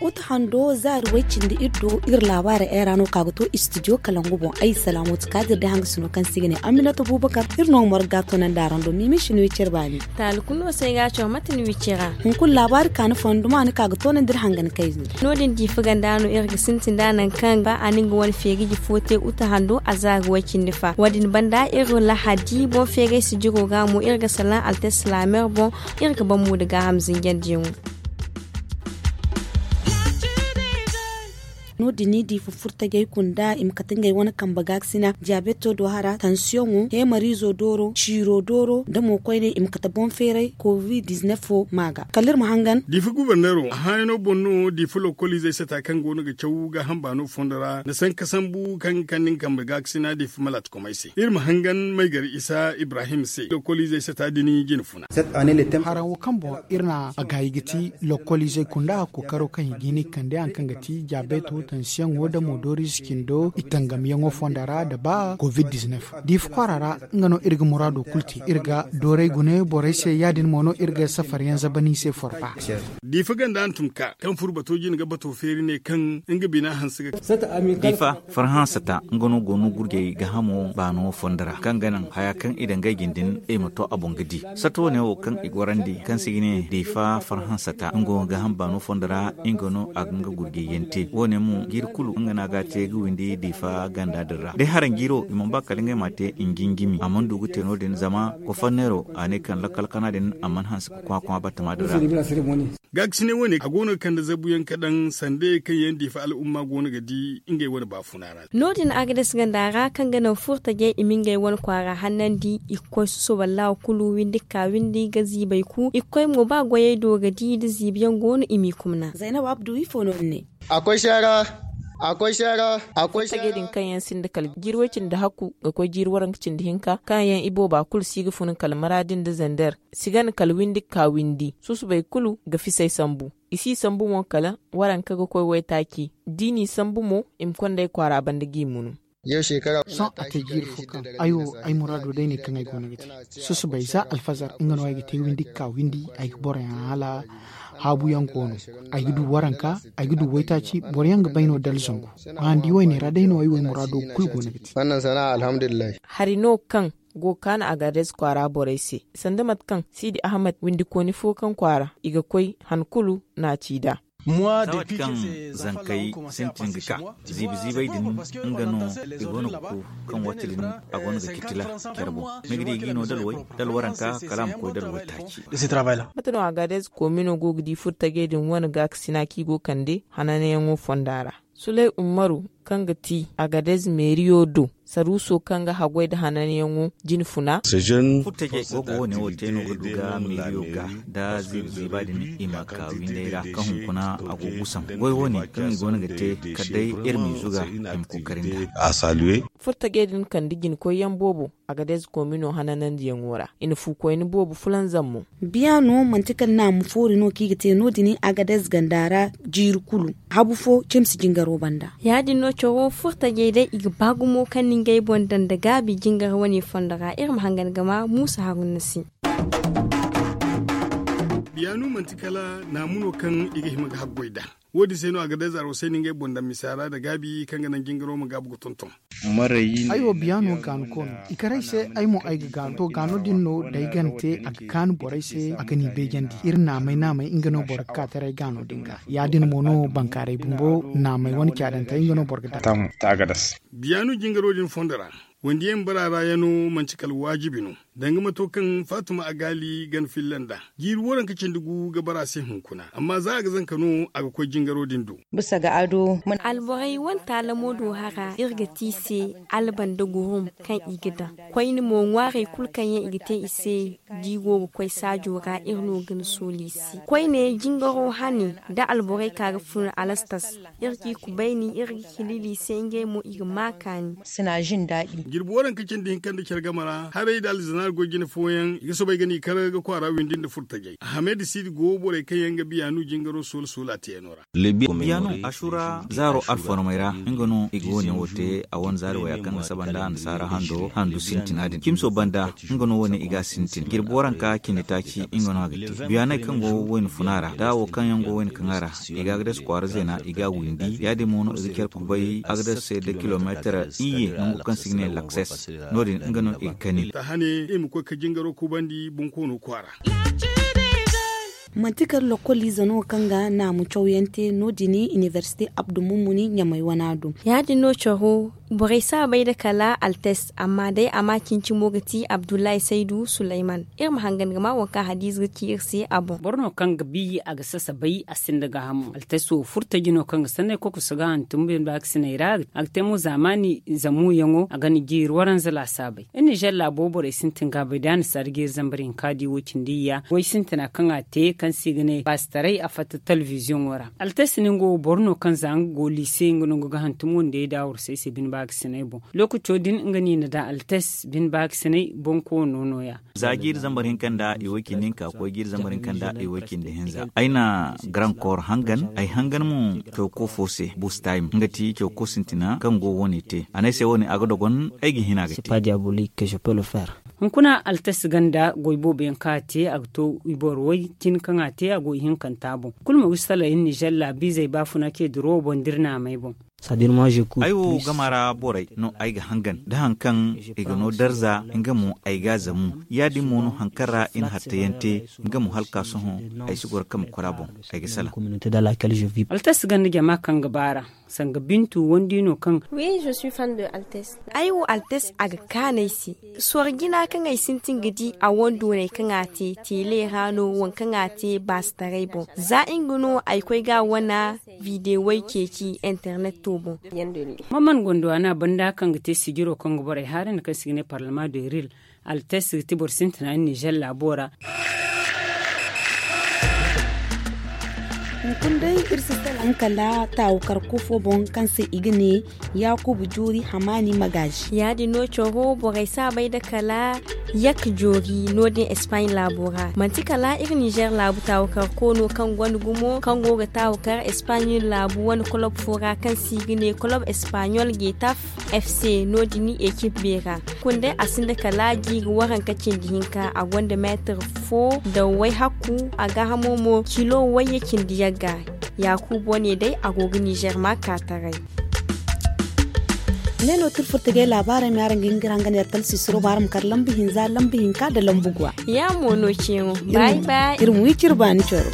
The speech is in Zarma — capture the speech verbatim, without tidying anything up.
Uta hando zaari way cindi iri do iri laabaari era no ka ga to istidiyo kalangu boŋ. Ay salaamu ti kaadir da hanga sino kaŋ se i ga ne aminata bubakar. Iri no ga morga to nandi araŋ do mimi sino wi care baani. Taali kulu no se ay ga a caw mate ni wi care ra. Hunkuna laabaari kaani fonduma ni ka ga to nandi iri hangan kayzey. No- din diifa ganda no iri ga sintin da nangu kaŋ ba a na nga wane feegaji fo te uta hando a zaari way cindi fa wo- din banda iri lahadi boŋ feegay sijiro ga mo iri ga salaŋ altes laamer boŋ. Iri ga ban mo da gaaham zinjandiyaŋo. No- din ni di fufurtajey kunda i ma kate ngey wane kambe gaakasina diyabeto do hara tansiyoŋo heemariizo dooro ciiro dooro da mo koyne i ma kate boŋ feeray covid diznef fo ma ga kala iri ma hangan. Diifa guberneero a haayano boŋ no diifa lokoliizey sata kaŋ go no ga caw gaaham baano fondo ra nda sanka sambu kaŋ ga kande nga kambe gaakasina diifa malaatakomey se iri ma hangan maygari isa ibrahim se lokoliizey sata din jine funa. Haraŋ wo kaŋ boŋ iri na a gaayi ga ti lokoliizey kunda kookaro kaŋ i ga hin i kande haŋ kaŋ ga ti diyabeto tansiyoŋo da moodoriize cindo i tangamyaŋo fonda ra nda ba covid diznef diifa kwaara ra. Nga no iri ga muraado kulu te iri ga dooray gune borey se ya- din mo no iri ga safaryaŋ zabani se forba. Diifa ganda hantum ka kaŋ furo bato jine ga bato feeri ne kaŋ nga bina hanse ga. Diifa farhansata nga no go no gurjey gaahamo baano fondo ra kaŋ ga naŋ haya kaŋ i daŋ ngey jine din i ma to a boŋ ga di. Sato wane wo kaŋ i gorandi kaŋ se i ga ne diifa farhansata nga wo gaaham baano fondo ra nga no a ga nga gurjey yaŋ te wo- ne mo jiiri kulu nga no a ga a te ga windi diifa ganda din ra day haraŋ jiiro i mana ba kala ngey ma a te njinjimi a mana du ga te no- din zama kofanneero a ne kaŋ lakkal kana din a mana hanse ga kwakwa batama din ra. Gaakasinay wane a go no ga kande zabuyaŋ ka daŋ sanda ye kaŋ yaŋ diifa al'umma go no ga di ngey wane baafuna ra. No- din agades ganda ra kaŋ ga naŋ furtajey i ma ngey wane kwaara hannandi i ga koy soso wallaahu kulu windi ga ka windi ga ziibay ku i ga koy mo ba goyey do ga di da ziibiyaŋ go no i m'i kumna. Zaynab abdu ifo no ni ne? A koy seera. A koy seera. A koy seera. Din kaŋ yaŋ sinda kala jiiri way cindi hakku ga koy jiiri waranka cindi hinka kaŋ yaŋ i booba kulu si ga fun kala maraadi nda zander si gana kala windi ga ka windi susubay kulu ga fisay sambu. I si sambu mo kala waranka ga koy waytaaci da i n'i sambu mo i ma konda ay kwaara banda g'i munu. Sohõ a te jiiri fo kaŋ ay wo ay muraado day ne kaŋ ay go no ga te. Susubay za alfazar nga no ay ga te windi ga ka windi ay ga boroyaŋ hala haabuyaŋ go no. Ay ga du waranka ay ga du waytaaci boroyaŋ ga bay no dala zangu. Handi wayne ra day no ay wo ay muraado kulu go no ga te. Hari no kaŋ go ga kaanu agades kwaara borey se sanda mate kaŋ siidi ahmed windikooni fo kaŋ kwaara i ga koy han kulu no a ci nd'a. Saawat kaŋ zankey sintin ga ka ziibi ziibey din nga no i go no ga ku kaŋ waati din a go no ga citila care boŋ ni ga di ga i no dalway dalwaranka kala a ma koy dalway taaci. Mate no agades koomino go ga di furtajey din wane gaakasina kaŋ i go ga kande hananayaŋo fonda ra. Suley ummaru kaŋ ga ti agadez meeriyo do saruuso kaŋ ga haggoy nda hananyaŋo jine funa. Furtajey go ga wo- ne wo te no ga du ga meeriyo ga nda ziiba ziiba din i ma ka windey ra kaŋ hunkuna a go ga gusaŋ goy wo- ne kaŋ i go no ga te kala day iri m'i zuga i ma kookari nda. Furtajey din kande jine koyyaŋ boobo agadez koomino hananandiyaŋo ra i na fu koyne boobo fulanzam mo. Biya no manti kala naamu foori no kaŋ i ga te no- din agadez ganda ra jiiri kulu habu fo cimsi jingaro banda. Ya- din no coro furtajey day i ga ba gumo kaŋ na ngey boŋ daŋ nda gaabi jingar wane fondo ra iri ma hangan ga ma muusa haruna se. Biya no manti kala naamu no kaŋ i ga hima ga haggoy nd'a. Wo- din se no agadez arwasay na ngey boŋ daŋ misa ra nda gaabi kaŋ ga naŋ jingaro ma gaabu ga tonton. Ay wo biya no gaanuko no i kar ay se ay mo ay ga gaanu to gaano din no da ay gana te a ga kaanu borey se a ga n'i beejandi iri naamay naamay nga no boro ga ka taray gaano din ga ya- din mo no bankaaray bumbo naamay wane caadantey nga no boro ga daŋ. Biya no jingaro din fondo ra wandiyaŋ bara ra yaŋ no manti kala waajibi no. Danga mato kaŋ faatuma agaali gana filla nd'a jiiri waranka cindi gu ga bara se hunkuna amma za a ga zanka no a ga koy jingaro din do. Alborey wane taalamo do hara iri ga te i se alba nda gurum kaŋ i ga daŋ koyne mo ŋwaarey kulu kaŋ yaŋ i ga te i se da i go ga koy saajo ra iri no ga ni sooli i se koyne jingaro hane da alborey ka ga fun alastas iri ga i kubayni iri ga hilili i se ngey mo i ga ma kaani. Sina jin daadi. Jirbi waranka cindi hinka nda care game ra haray nda alzanaari goy jine fooyaŋ i ga soobay ga no i kar ga kwaara windi nda furtajey. Hamed siidi go borey kaŋ yaŋ ga biyaanu jingaro soola soola teeyaŋo ra. Biyaano, asura zaaro alformey ra nga no i ga wo- ne wo te. A wane zaari waya kaŋ ga saba nda annasaara hando handu sintina din cimso banda. Nga no wo- ne i ga a sintin jirbi waranka cindi taaci nga no a ga te. Biyaaney kaŋ go wayna funa ra nda wo kaŋ yaŋ go wayna kaŋa ra i ga agades kwaara zeena i ga a windi ya- din mo no i ga care kubay agades se nda kilomeetar iyye nangu kaŋ se i ga ne lakses. No- din nga no i ga kani. Manti kala lokkoliize no kaŋ ga naamu cawyaŋ te no- din inibersite abdu mummuni ɲamay wana do. Ya- din no caro borey si a bay nda kala altes amma day a ma cincimo ga ti abdullahi saydu sulayman. Iri ma hangan ga ma waŋ kaŋ hadiize ga ci iri se a boŋ. Boro no kaŋ ga bi a ga sasabay a sinda gaahamo altes wo furtaji no kaŋ ga sanney kokoso ga hantum bine baakasiney ra a ga te mo zaamaani zamuyaŋo a ga ni jiiri waranza laasaabey. Iri nizer laabo borey sintin ga a bay da a na si a da jiiri zambar hinka di wo- cindi iyya goy sintina kaŋ a te kaŋ se i ga ne baasitaray a fatta telebiziyoŋo ra. Altes ningo wo boro no kaŋ za nga go liise nga no nga ga hantum wandey da a warsay se bine baakasiney boŋ. Lookaco din nga no i na daŋ altes bine baakasiney boŋ koono no- ya. Za jiiri zambar hinka nda iway cindi hinka koy jiiri zambar hinka nda iway cindi hinza ay na garaŋ kooro hangan ay hangan mo cawko fo se bustayim nga ti cawko sintina kaŋ go wo- ne te a ne ay se wo- ne a ga dogon ay ga hin a ga te. Hunkuna altes ganda goy boobo yaŋ kaŋ a te a ga to i boro way cine kaŋ a te a go ihinkanta boŋ. Kulu ma wi salay iri nizer laabiizey baafuna ce duro boŋ da iri naamey boŋ. Ay wo gama ra borey no ay ga hangan da hari kaŋ i ga no darza nga mo ay ga a zamu. Ya- din mo no hari kaŋ ra i na hattayaŋ te nga mo hala ka sohõ ay si goro kama kora boŋ. Ay ga salaŋ. Altes ganda jama kaŋ ga baar'a sanga bintu wandi no kaŋ. Ay wo altes a ga kaanu ay se. Sorro jina kaŋ ay sintin ga di a wane doonay kaŋ a te teele ra no waŋ kaŋ a te baasitaray boŋ za nga no ay koy ga a wane videwey ceeci interneto boŋ. Maman gondowana banda kaŋ ga te sijiro kaŋ ga borey haarandi kaŋ se i ga ne parlama de ril. Altes ga ti boro sintina nizer laabo ra. Hunkuna day iri si salaŋ kala taawukar kufo boŋ kaŋ se i ga ne yaakuba joori hamaani magaazi. Ya- din no coro borey si a bay nda kala yakka joori no- din espaɲe laabo ra manti kala iri nizer laabu taawukar koono kaŋ gonda gumo kaŋ go ga taawukar espaɲe laabu wane kolob fo ra kaŋ se i ga ne kolob espaɲol getaf. F c no- din ekip beera. Kunda a sinda kala jiiri waranka cindi hinka a gonda meetir fo da wayhakku a gaahamo mo kilo wayye cindi yagga. Yaakubo ne day a go ga nizer ma ka taray. Ne no tirfurtagey laabaarey ma araŋ ga hin ga iri hangan yar talsisiro ma araŋ ma kar lambu hinza lambu hinka nda lambu guwa. Ya mo no ceeŋo. Bay bay. Iri ma wi ciri baani coro.